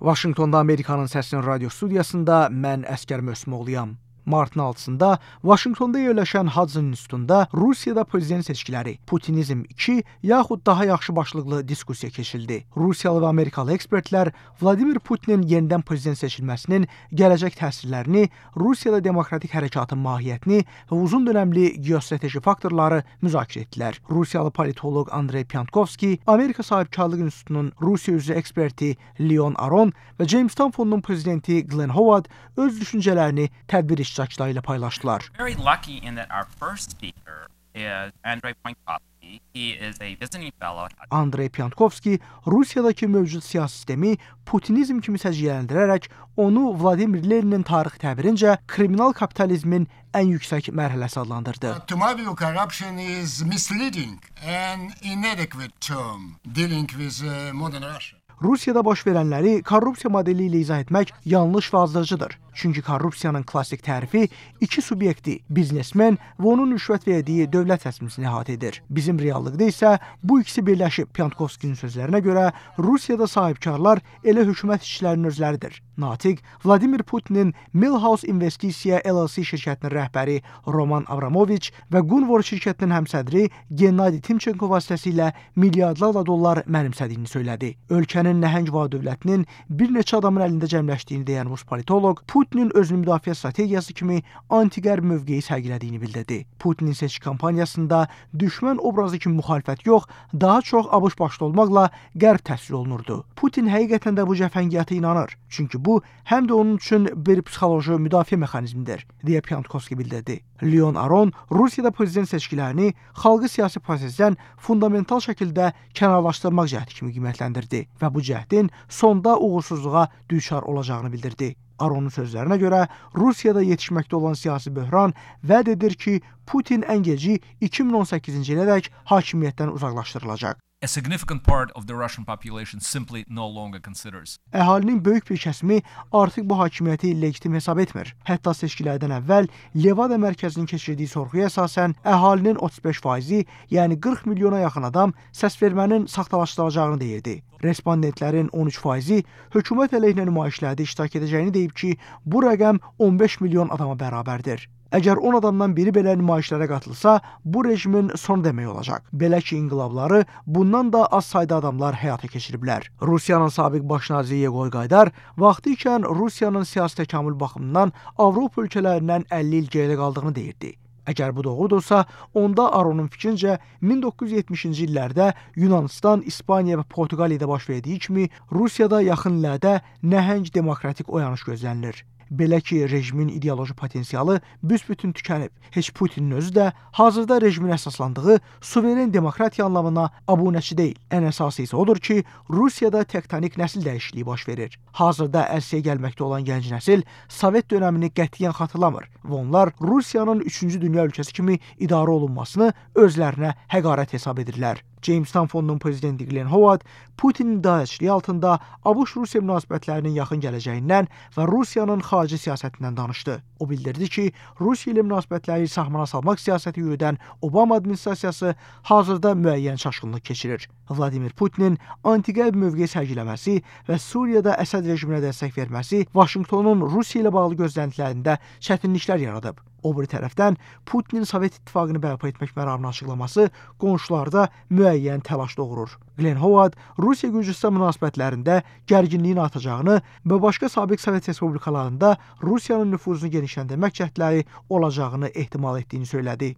Vaşinqtonda Amerikanın Səsinin radio studiyasında mən Əskər Mösmoğluyam. Martın 6-sında Vaşinqtonda yerləşən Hudson İnstitutunda Rusiyada prezident seçkiləri, Putinizm 2 yaxud daha yaxşı başlıqlı diskussiya keçirildi. Rusiyalı və Amerikalı ekspertlər Vladimir Putinin yenidən prezident seçilməsinin gələcək təsirlərini, Rusiyada demokratik hərəkatın mahiyyətini və uzun dönəmli geostrateji faktorları müzakirə etdilər. Rusiyalı politoloq Andrey Pyankovski, Amerika Sahibkarlıq İnstitutunun Rusiya üzrə eksperti Leon Aron və Jamestown Fondunun prezidenti Glenn Howard öz düşüncələrini tədbir iştirakçıları ilə paylaşdılar. Very lucky in that our first speaker is Andrey Pyankovski. He is a visiting fellow. Andrey Pyankovski Rusiyadakı mövcud siyasi sistemi Putinizm kimi səciyyələndirərək onu Vladimir Leninin tarix təbirincə kriminal kapitalizmin ən yüksək mərhələsi adlandırdı. To my view, corruption is misleading and inadequate term dealing with modern Russia. Rusiyada baş verənləri korrupsiya modeli ilə izah etmək yanlış və azdırıcıdır. Çünki korrupsiyanın klassik tərifi iki subyekti, biznesmen və onun rüşvət verdiyi dövlət rəsmisini əhatə edir. Bizim reallıqda isə bu ikisi birləşib. Pyankovskinin sözlərinə görə Rusiyada sahibkarlar elə hökumət işçilərinin özləridir. Natiq Vladimir Putinin Millhouse İnvestisiya LLC şirkətinin rəhbəri Roman Abramoviç və Gunvor şirkətinin həmsədri Gennady Timchenko vasitəsilə milyardlarla dollar mənimsədiyini söylədi. Ölkənin nəhəng var-dövlətinin bir neçə adamın əlində cəmləşdiyini deyən rus politoloq Putinin özünü müdafiə strategiyası kimi anti-qərb mövqeyi sərgilədiyini bildirdi. Putinin seçki kampaniyasında düşmən obrazı kimi müxalifət yox, daha çox ABŞ başda olmaqla qərb təsvir olunurdu. Putin həqiqətən də bu cəfəngiyata inanır. Çünki bu həm də onun üçün bir psixoloji müdafiə mexanizmidir, deyə Pyankovski bildirdi. Leon Aron Rusiyada prezident seçkilərini xalqı siyasi prosesdən fundamental şəkildə kənarlaşdırmaq cəhdi kimi qiymətləndirdi və bu cəhdin sonda uğursuzluğa düçar olacağını bildirdi. Aronun sözlərinə görə Rusiyada yetişməkdə olan siyasi böhran vəd edir ki, Putin ən geci 2018-ci ilədək hakimiyyətdən uzaqlaşdırılacaq. A significant part of the Russian population simply no longer considers. Əhalinin böyük bir kəsimi artıq bu hakimiyyəti legitim hesab etmir. Hətta seçkilərdən əvvəl Levada mərkəzinin keçirdiyi sorğuya əsasən əhalinin 35%, yəni 40 milyona yaxın adam səs vermənin saxtalaşdırılacağını deyirdi. Respondentlərin 13%-i hökumət əleyhinə nümayişlərdə iştirak edəcəyini deyib ki, bu rəqəm 15 milyon adama bərabərdir. Əgər 10 adamdan biri belə nümayişlərə qatılsa, bu rejimin sonu demək olacaq. Belə ki, inqilabları bundan da az sayda adamlar həyata keçiriblər. Rusiyanın sabiq baş naziri Yegor Gaydar vaxtı ikən Rusiyanın siyasi təkamül baxımından Avropa ölkələrindən 50 il geridə qaldığını deyirdi. Əgər bu doğrudursa, onda Aronun fikrincə 1970-ci illərdə Yunanistan, İspaniya və Portuqaliyada baş verdiyi kimi Rusiyada yaxın illərdə nəhəng demokratik oyanış gözlənilir. Belə ki, rejimin ideoloji potensialı büsbütün tükənib. Heç Putinin özü də hazırda rejimin əsaslandığı suveren demokratiya anlamına abunəçi deyil. Ən əsası isə odur ki, Rusiyada tektonik nəsil dəyişikliyi baş verir. Hazırda ərsəyə gəlməkdə olan gənc nəsil Sovet dönəmini qətiyyən xatırlamır və onlar Rusiyanın 3-cü dünya ölkəsi kimi idarə olunmasını özlərinə həqarət hesab edirlər. Jamestown Fondunun prezidenti Glenn Howard Putinin idarəçiliyi altında ABŞ-Rusiya münasibətlərinin yaxın gələcəyindən və Rusiyanın xarici siyasətindən danışdı. O bildirdi ki, Rusiya ilə münasibətləri sahmana salmaq siyasəti yürüdən Obama administrasiyası hazırda müəyyən çaşqınlıq keçirir. Vladimir Putinin anti-qərb mövqeyi sərgiləməsi və Suriyada Əsəd rejiminə dəstək verməsi Vaşinqtonun Rusiya ilə bağlı gözləntilərində çətinliklər yaradıb. O bir tərəfdən Putinin Sovet İttifaqını bərpa etmək məramını açıqlaması qonşularda müəyyən təlaş doğurur. Glenn Howard Rusiya-Gürcüstan münasibətlərində gərginliyin artacağını və başqa sabiq Sovet respublikalarında Rusiyanın nüfuzunu genişləndirmək cəhdləri olacağını ehtimal etdiyini söylədi.